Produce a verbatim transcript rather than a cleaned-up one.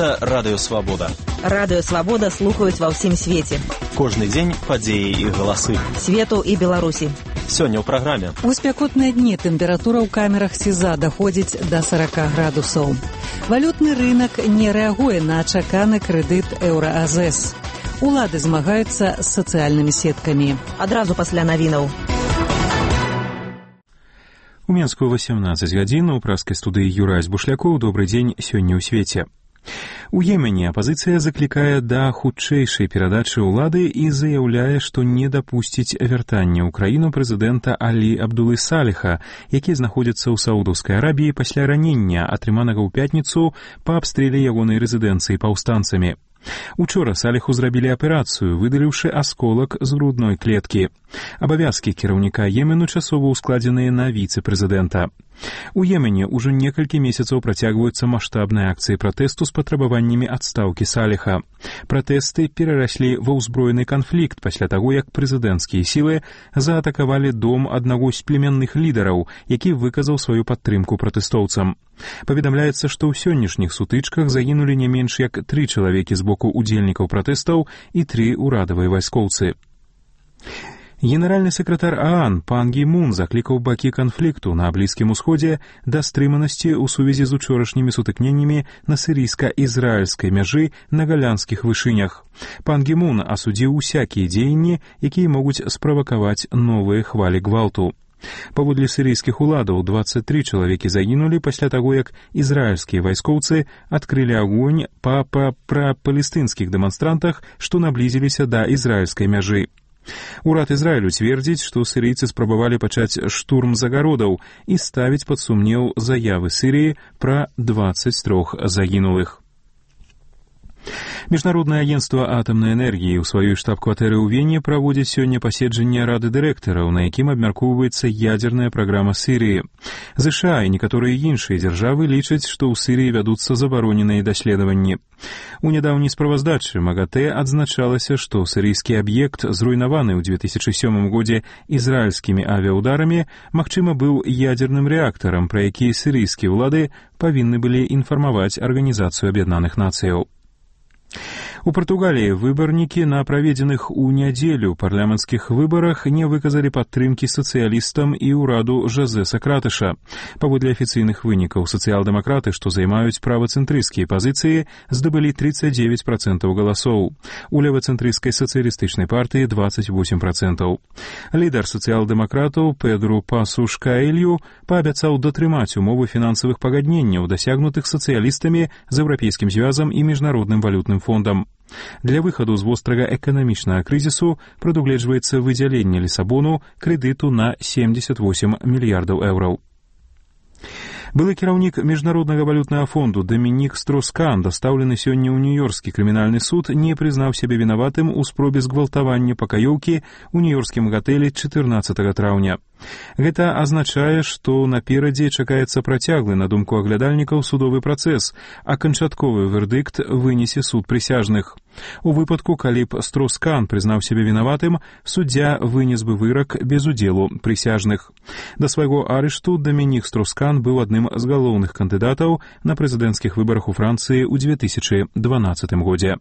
Гэта Радыё Свабода. Радыё Свабода слухаюць ва ўсім свеце. Кожны дзень падзеі і галасы. Свету і Беларусі. Сёння ў праграме. У спякотныя дні тэмпература ў камерах СІЗА даходзіць да сорок градусаў. Валютны рынок не рэагуе на чаканы крэдыт еўра-АЗС. Улады змагаюцца з сацыяльнымі сеткамі. Адразу пасля навінаў. У Менску восемнадцать гадзін, у праскай студыі Юрась Бушлякоў. Добрый дзень, сёння ў свеце. У Йемене апазіцыя заклікае да хутчэйшай перадачы ўлады і заяўляе, што не дапусціць вяртання ў краіну прэзідэнта Алі Абдулы Саліха, які знаходзіцца ў Саудаўскай Арабіі пасля ранення, атрыманага ў пятніцу па абстрэле ягонай рэзідэнцыі паўстанцамі. Учора Саліху зрабілі аперацыю, выдаліўшы асколак з грудной клеткі. Абавязкі кіраўніка Йемену часова ўскладзеныя на віцэ-прэзідэнта. У Йемене ўжо некалькі месяцаў працягваюцца маштабныя акцыі пратэсту з патрабаваннямі адстаўкі Саліха. Пратэсты перараслі ва ўзброены канфлікт пасля таго, як прэзідэнцкія сілы заатакавалі дом аднаго з племянных лідараў, які выказаў сваю падтрымку пратэстоўцам. Паведамляецца, што ў сённяшніх сутычках загінулі не менш як тры чалавекі з боку удзельнікаў пратэстаў і тры ўрадавыя вайскоўцы. Генеральны сакратар ААН Пан Гі Мун заклікаў бакі канфлікту на Блізкім Усходзе да стрыманасці ў сувязі з учорашнімі сутыкненнямі на сірійска-ізраільскай мяжы на галянскіх вышынях. Пан Гі Мун асудзіў усякія дзеянні, якія могуць справакаваць новыя хвалі гвалту. Паводле сірійскіх уладаў двадцать три чалавекі загінулі пасля таго, як ізраільскія вайскоўцы адкрылі агонь па прапалестынскіх дэманстрантах, што наблізіліся да ізраільскай мяжы. Урад Ізраілю цвердзіць, што сірыйцы спрабавалі пачаць штурм загародаў і ставіць пад сумнеў заявы Сірыі пра двадцать три загінулых. Міжнароднае агенцтва атамнай энергіі ў сваёй штаб-кватэры ў Вене праводзіць сёння паседжанне Рады дырэктараў, на якім абмяркоўваецца ядзерная праграма Сірыі. ЗША і некаторыя іншыя дзяржавы лічаць, што ў Сірыі вядуцца забароненыя даследаванні. У нядаўняй справаздачы МАГАТЭ адзначалася, што сірыйскі аб'ект, зруйнаваны ў две тысячи сёмым годзе ізраільскімі авіаударамі, магчыма, быў ядзерным рэактарам, пра які сірыйскія ўлады павінны былі інфармаваць Арганізацыю Аб'яднаных Нацыяў. У Партугаліі выбарнікі на праведзеных у нядзелю парламенцкіх выбарах не выказалі падтрымкі сацыялістам і ўраду Жозе Сакратыша. Паводле афіцыйных вынікаў, сацыял-дэмакраты, што займаюць правацэнтрысцкія пазіцыі, здабылі тридцать девять процентов галасоў. У левацэнтрысцкай сацыялістычнай партыі двадцать восемь процентов. Лідар сацыял-дэмакратаў Педру Пасуш Каэлью паабяцаў датрымаць умовы фінансавых пагадненняў, дасягнутых сацыялістамі з Еўрапейскім звязам і Міжнародным валютным фондам. Для выхаду з вострага эканамічнага крызісу прадугледжваецца выдзяленне Лісабону крэдыту на семьдесят восемь мільярдаў еўраў. Былы кіраўнік Міжнароднага валютнага фонду Дамінік Строскан, дастаўлены сёння ў Нью-Йоркскі крымінальны суд, не прызнаў сябе вінаватым у спробе згвалтавання пакаёўкі ў нью-йоркскім гатэлі чатырнаццатага траўня. Гэта азначае, што наперадзе чакаецца працяглы, на думку аглядальнікаў, судовы працэс, а канчатковы вердыкт вынесе суд прысяжных. У выпадку, калі б Строскан прызнаў сябе вінаватым, суддзя вынес бы вырак без удзелу прысяжных. Да свайго арышту Дамінік Строскан быў адным з галоўных кандыдатаў на прэзідэнцкіх выбарах у Францыі ў две тысячи дванаццатым годзе.